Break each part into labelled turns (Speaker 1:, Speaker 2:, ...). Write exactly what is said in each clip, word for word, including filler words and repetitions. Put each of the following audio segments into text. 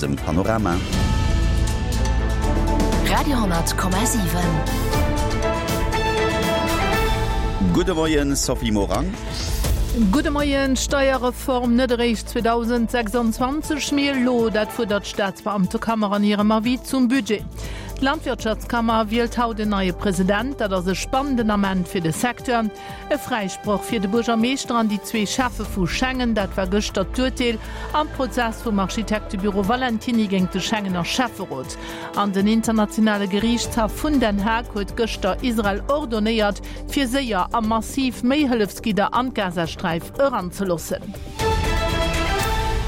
Speaker 1: Dem Panorama.
Speaker 2: Radio hundert Komma siwen.
Speaker 1: Gudde Moien, Sophie Morang.
Speaker 3: Gudde Moien. Steierreform net eréischt zweedausendsechsanzwanzeg, mee elo, dat fuerdert d'Staatsbeamtekammer an hirem Avis zum Budget. D'Landwirtschaftskammer wielt haut en neie President, dat ass e spannenden Ament fir de Secteur. E Fräisproch fir de Buergermeeschter an déi zwee Schäffe vu Schengen, dat war gëschter d'Urteel am Prozess vum Architektebüro Valentiny géint de Schengener Schäfferot. An den internationale Geriichtshaff vun Den Haag huet gëschter Israel ordonéiert, fir séier a massiv méi Hëllefsgidder an d'Gazasträif eranzeloossen.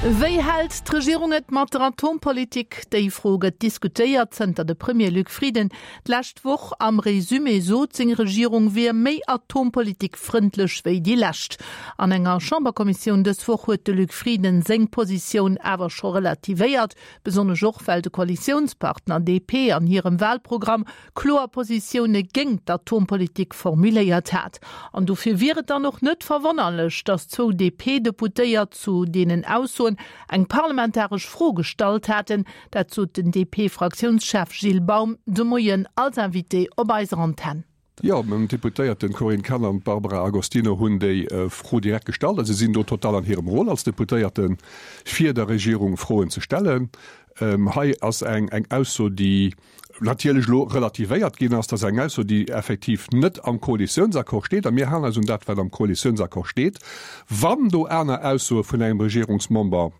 Speaker 3: Wéi hält d'Regierung et mat der Atompolitik? Déi Fro gëtt diskutéiert, zënter de Premier Luc Frieden d'lescht Woch am Resumé sot, seng Regierung wier méi atompolitikfrëndlech wéi déi lescht. An enger Chamberkommissioun dës Woch huet de Luc Frieden seng Positioun awer scho relativéiert, besonnesch och well de Koalitiounspartner D P an hirem Walprogramm kloer Positioune géint d'Atompolitik formuléiert hat. An dofir wier et dann och net verwonnerlech, datt zwou D P-Deputéiert zu deenen Aussoen eng parlamentaresch Fro gestallt haten. Dat sot den D P-Fraktiounschef Gilles Baum de Moien als Invité op eiser Antenn.
Speaker 4: Jo, meng Deputéierten Corinne Cahen an Barbara Agostino hunn déi Fro direkt gestallt. Also si sinn do total an hirem Rôle als Deputéierten, fir der Regierung Froen ze stellen. Ähm, hei ass eng eng Ausso, déi natierlech lo relativéiert ginn ass, dat ass eng Ausso, déi effektiv net am Koalitiounsaccord steet, a mir halen eis un dat, wat am Koalitiounsaccord steet. Wann do aner Aussoe vun engem Regierungsmember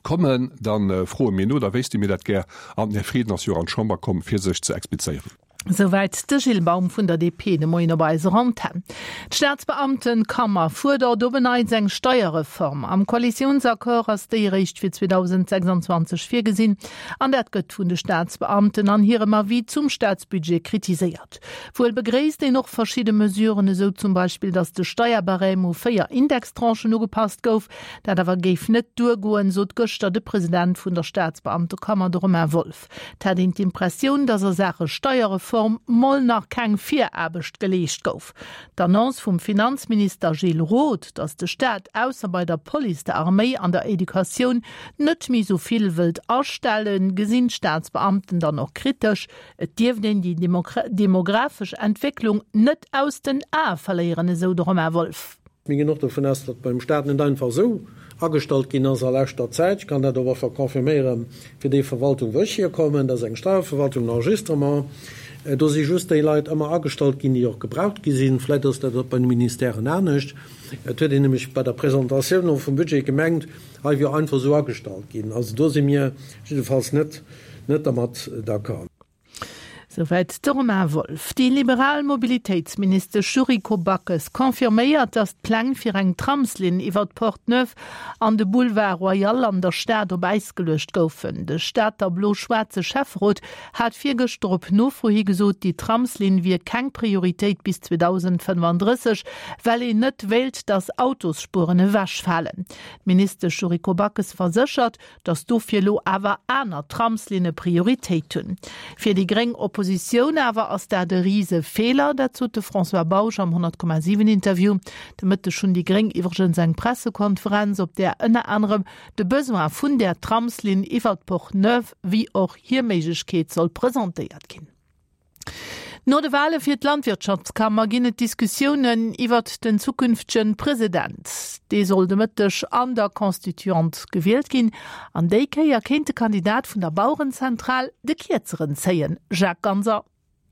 Speaker 4: kommen, dann äh, froe mir no, da wéisste mir dat gär, an den Här Frieden ass jo an d'Chamber komm, fir sech ze explizéieren.
Speaker 3: Souwäit de Gilles Baum vun der D P de Moien op eiser Antenn. D'Staatsbeamtekammer fuerdert op en Neits eng Steierreform. Am Koalitiounsaccord ass déi eréischt fir zweedausendsechsanzwanzeg virgesinn, an dat gëtt vun de Staatsbeamten an hirem Avis zum Staatsbudget kritiséiert. Wuel begréisst een och verschidde Mesuren, esou zum Beispill, datt de Steierbarème u véier Indextranchen ugepasst gouf. Dat awer géif net duergoen, sot gëschter de President vun der Staatsbeamtekammer, de Romain Wolff. Et hätt een d'Impressioun, datt a Saache Steierreform mol nach keng Viraarbecht geleescht gouf. D'Annonce vum Finanzminister Gilles Roth, datt de Staat ausser bei der Police, der Arméi an der Educatioun net méi sou vill wëllt astellen, gesinn d'Staatsbeamten dann och kritesch. Et dierft een déi demografesch Entwécklung net aus den Ae verléieren, esou de Romain Wolff.
Speaker 5: Mir ginn och dovun aus, datt beim Staat net einfach esou agestallt ginn ass a leschter Zäit. Ech kann dat och einfach confirméieren fir déi Verwaltung, wou ech hierkommen, dat ass eng Steierverwaltung, en Enregistrement. Do si just déi Leit ëmmer agestallt ginn, déi och gebraucht gi sinn. Vläicht ass dat och bei de Ministèren anescht. Et huet een nämlech bei der Presentatioun och vum Budget gemengt, hei wier einfach esou agestallt ginn. Also do si mir jiddefalls net net dermat d'accord.
Speaker 3: Souwäit de Romain Wolff. Déi liberal Mobilitéitsministesch Yuriko Backes confirméiert, datt d'Pläng fir eng Tramslinn iwwer d'Porte Neuve an de Boulevard Royal an der Stad op Äis geluecht goufen. De Stater blo-schwaarze Schäfferot hat virgëschter op Nofro hi gesot, déi Tramslinn wier keng Prioritéit bis zweedausendfënnefandrësseg, well een net wéilt, datt Autosspueren ewechfalen. D'Ministesch Yuriko Backes verséchert, datt dofir elo awer aner Tramslinne Prioritéit hunn. Fir déi gréng Oppositioun awer ass dat e Risefeeler, dat sot de François Bausch am honnert Komma siwen Interview. De Mëtteg hunn déi Gréng iwwregens eng Pressekonferenz, op där ënner anerem de Besoin vun där Tramslinn iwwer d'Porte Neuve wéi och hir Méiglechkeet soll presentéiert ginn. No de Wale fir d'Landwirtschaftskammer ginn et Diskussiounen iwwer den zukünftege President. Dee soll de Mëtteg an der Constituante gewielt ginn. An déi Kéier kéint de Kandidat vun der Bauerenzentral de Kierzeren zéien. Jacques Ganser.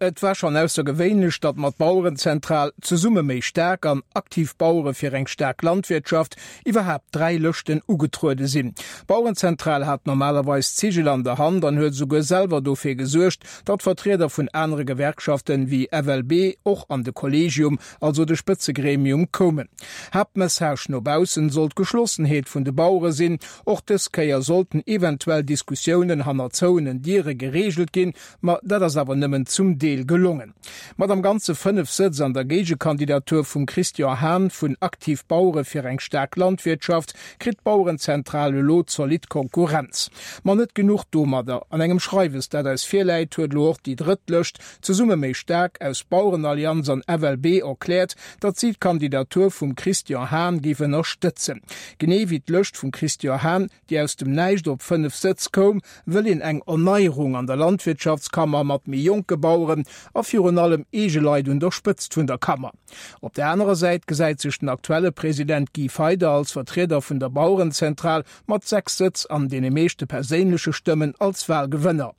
Speaker 6: Et war schonn aussergewéinlech, datt mat Bauerenzentral, Zesumme méi staark an Aktiv Bauere fir eng staark Landwirtschaft iwwerhaapt dräi Lëschten ugetruede sinn. D'Bauerenzentral hat normalerweis d'Zigel an der Hand an huet esouguer selwer dofir gesuergt, datt Vertrieder vun anere Gewerkschaften wéi F L B och an de Kollegium, also de Spëtzegremium, koumen. Haaptmessage no baussen sollt d'Geschlossenheet vun de Bauere sinn. Och dës Kéier sollten eventuell Diskussiounen hanner zouenen Diere gereegelt ginn, ma dat ass awer nëmmen zum Deel Deel gelongen. Mat am Ganze fënnef Sëtz an der Géigekandidatur vum Christian Hahn vun Aktiv Bauere fir eng staark Landwirtschaft kritt d'Bauerenzentral elo zolidd Konkurrenz. Ma net genuch domadder, An engem Schreiwes, dat eis virläit, huet elo och déi drëtt Lëscht, Zesumme méi staark, aus Bauerenallianz an F L B erkläert, datt si d'Kandidatur vum Christian Hahn géif ënnerstëtzen. Genee wéi d'Lëscht vum Christian Hahn, déi aus dem Näischt op fënnef Sëtz koum, wëll een eng Erneierung an der Landwirtschaftskammer mat méi jonke Baueren a virun allem eege Leit un der Spëtzt vun der Kammer. Op der anerer Säit gesäit sech den aktuelle President Guy Feyder als Vertrieder vun der Bauerenzentral mat sechs Sëtz an deene meeschte perséinleche Stëmmen als Walgewënner.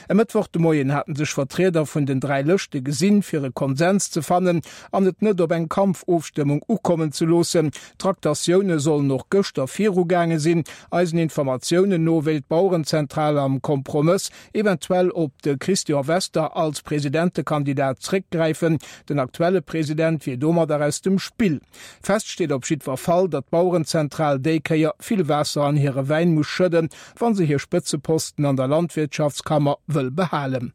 Speaker 6: E Mëttwoch de Moien haten sech Vertrieder vun den dräi Lëschte gesinn, fir e Konsens ze fannen an et net op eng Kampfofstëmmung ukommen ze loossen. D'Traktatioune sollen och gëschter virugaange sinn. Eisen Informatiounen no wéilt d'Bauerenzentral am Kompromëss eventuell op de Christian Wester als Presidentekandidat zréckgräifen. Den aktuelle President wier domadder aus dem Spill. Fest steet op jiddwer Fall, datt d'Bauerenzentral déi Kéier vill Waasser an hire Wäin muss schëdden, wa se hir Spëtzeposten an der Landwirtschaftskammer wëll behalen.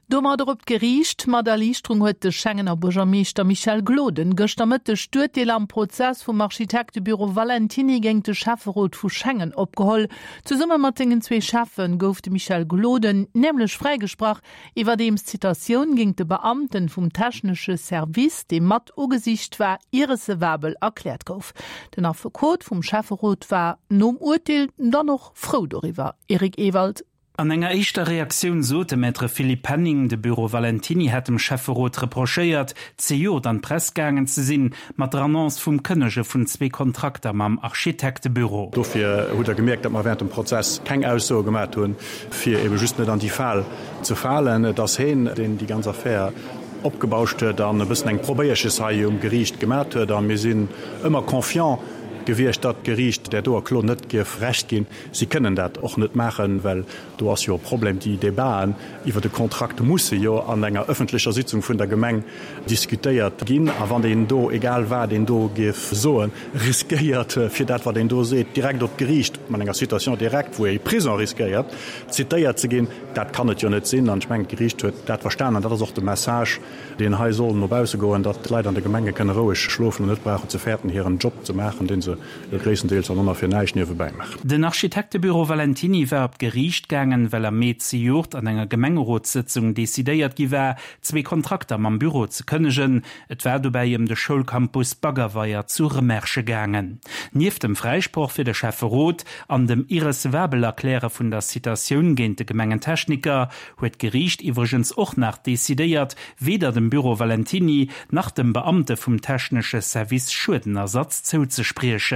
Speaker 3: Domadder op d'Geriicht. Mat Erliichterung huet de Schengener Buergermeeschter Michel Gloden gëschter Mëtteg d'Urteel am Prozess vum Architektebüro Valentiny géint de Schäfferot vu Schengen opgeholl. Zesumme mat sengen zwee Schäffe gouf de Michel Gloden nämlech fräigesprach, iwwerdeems d'Citatioun géint de Beamten vum technesche Service, dee mat ugesicht war, irrecevabel erkläert gouf. Den Affekot vum Schäfferot war nom Urteel dann och frou doriwwer. Eric Ewald.
Speaker 2: An enger éischter Reaktioun sot de Maître Philippe Penning, de Büro Valentiny hätt dem Schäfferot reprochéiert, zejoert an d'Press gaangen ze sinn, mat der Annonce vum Kënnege vun zwee Kontrakter mam Architektebüro.
Speaker 7: Dofir hutt Der gemierkt, datt mer während dem Prozess keng Aussoe gemat hunn, fir ebe just net an déi Fal ze falen. Et ass heen, deen déi ganz Affär opgebauscht huet an e bëssen eng Probéierches hei um Geriicht gemat huet. A mir sinn ëmmer confiant gewiescht, datt d'Geriicht där doer Klo net géif Recht ginn. Si kënnen dat och net maachen, well do ass jo e Problem, déi Debaten iwwer de Kontrakt musse jo an enger ëffentlecher Sitzung vun der Gemeng diskutéiert ginn. A wann een do, egal wat een do géif soen, riskéiert, fir dat wat een do seet, direkt op d'Geriicht, mat enger Citation directe, wou ee Prison riskéiert, zitéiert ze ginn, dat kann et jo net sinn. An ech mengen, d'Geriicht huet dat verstanen. An dat ass och de Message, deen hei soll no bausse goen, datt d'Leit an de Gemenge kënne roueg schlofen an net brauchen ze fäerten, hiren Job ze maachen, dee se jo gréisstendeels an ëmmer fir näischt niewebäi maachen.
Speaker 2: Den Architektebüro Valentiny war op d'Geriicht gaangen, well am Mee zejoert an enger Gemengerotssëtzung decidéiert gi war, zwee Kontrakter mam Büro ze kënnegen. Et war dobäi ëm de Schoulcampus Baggerweier zu Remerschen gaangen. Nieft dem Fräisproch fir de Schäfferot an dem Irrecevabel-Erkläre vun der Citatioun géint de Gemengentechniker huet d'Geriicht iwwregens och nach decidéiert, weder dem Büro Valentiny nach dem Beamte vum technesche Service Schuedenersatz zouzespriechen.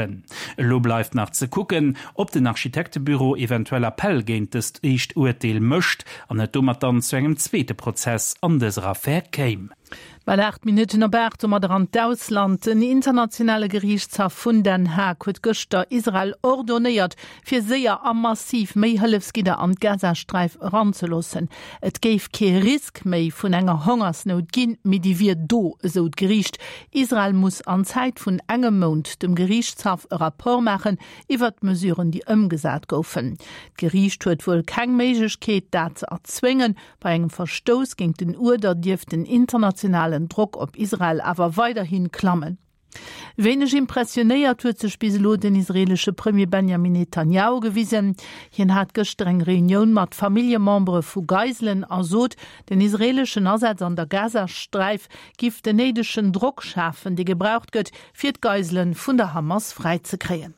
Speaker 2: Elo bleift nach ze kucken, ob den Architektebüro eventuell Appell géint dëst éischt Urteel mécht an et domat dann zu engem zweete Prozess an dëser Affär kéim.
Speaker 3: Bal aacht Minutten op aacht, domadder an d'Ausland. Den internationale Geriichtshaff vun Den Haag huet gëschter Israel ordonéiert, fir séier a massiv méi Hëllefsgidder an d'Gazasträif eranzeloossen. Et géif kee Risk méi vun enger Hongersnout ginn, mee déi wier do, esou d'Geriicht. Israel muss an Zäit vun engem Mount dem Geriichtshaff e Rapport maachen iwwert d'Mesuren, déi ëmgesat goufen. D'Geriicht huet wuel keng Méiglechkeet, dat ze erzwéngen. Bei engem Verstouss géint den Uerder dierft den internationalen Drock op Israel awer weiderhi klammen. Wéineg impressionéiert huet sech bis elo den israeelesche Premier Benjamin Netanjahu gewisen. Hien hat gëschter eng Reunioun mat Familljemembere vu Geiselen a sot, den israeeleschen Asaz an der Gazasträif giff den néidegen Drock schafen, dee gebraucht gëtt, fir d'Geisele vun der Hamas fräizekréien.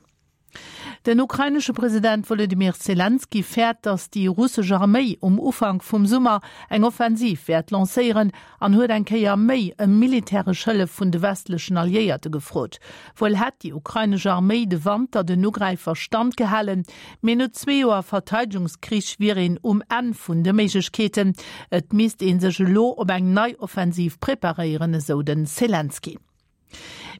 Speaker 3: Den ukrainesche President Wolodymyr Selenskyj fäert, datt déi russesch Arméi um Ufank vum Summer eng Offensiv wäert lancéieren an huet eng Kéier méi ëm militäresch Hëllef vun de westlechen Alliéierte gefrot. Wuel hätt déi ukrainesch Arméi de Wanter den Ugräifer standgehalen, mee no zwee Joer Verteidegungskrich wier een um Enn vun de Méiglechkeeten. Et misst ee sech elo op eng nei Offensiv preparéieren, esou de Selenskyj.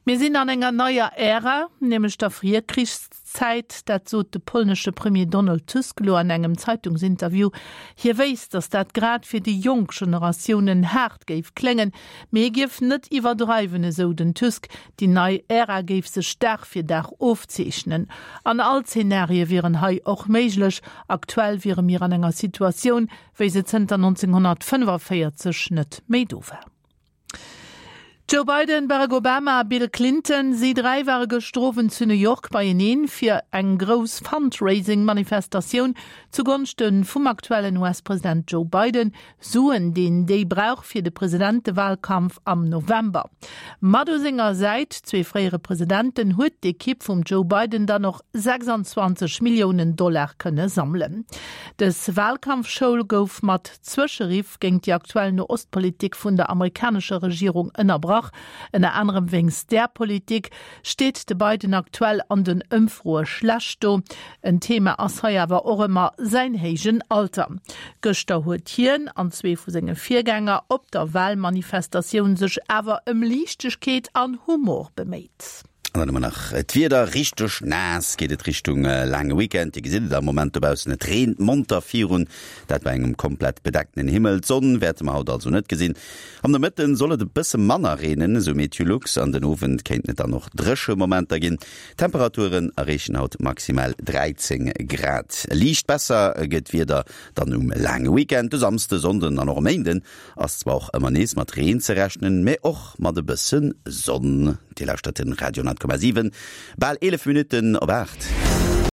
Speaker 3: Mir sinn an enger neier Ära, nämlech der Virkrichszäit, dat sot de polnesche Premier Donald Tusk elo an engem Zeitungsinterview. Hie wéisst, datt dat grad fir déi jonk Generatiounen haart géif kléngen, mee hie géif net iwwerdreiwen, esou den Tusk. Déi nei Ära géif sech Dag fir Dag ofzeechnen. An all Zenarie wieren hei och méiglech. Aktuell wiere mir an enger Situatioun, wéi se zënter nonzénghonnertfënnefaféierzeg net méi do war. Joe Biden, Barack Obama a Bill Clinton, si dräi ware gëschter Owend zu New York beieneen, fir eng grouss Fundraising-Manifestatioun zugonschte vum aktuellen U S-President Joe Biden, Suen, deen déi brauch fir de Presidentewahlkampf am November. Mat u senger Säit zwee fréiere Presidenten huet d'Ekipp vum Joe Biden dann och sechsanzwanzeg Milliounen Dollar kënne sammelen. Dës Wahlkampfschoul gouf mat Zwëscheriff géint déi aktuell No-Ost-Politik vun der amerikanescher Regierung ënnerbrach. Ënner anerem wéinst där Politik steet de Biden aktuell an den Ëmfroe schlecht do. En Thema ass hei awer och ëmmer säin héijen Alter. Gëschter huet hien an zwee vu senge Virgänger op der Wahlmanifestatioun sech awer ëm Liichtegkeet an Humor beméit.
Speaker 1: An dann hu mer nach d'Wieder, Richteg naass geet et Richtung laange Weekend. Dir gesitt et am Moment dobaussen, et reent monter virun, dat bei engem komplett bedecktenen Himmel. D'Sonn wäerte mer haut also net gesinn. Am Nomëtten soll et e bësse manner reenen, esou Meteolux, an den Owend kéinten et dann och dréche Momenter ginn. D'Temperaturen erreechen haut maximal dräizéng Grad. Liicht besser gëtt d'Wieder dann um laange Weekend. De Samsde, Sonnden an och e Méinden ass zwar och ëmmer nees mat Reen ze rechnen, mee och mat e bësse Sonn. Dir lauschtert den Radio honnert Komma siwen, bal eelef Minutten op aacht.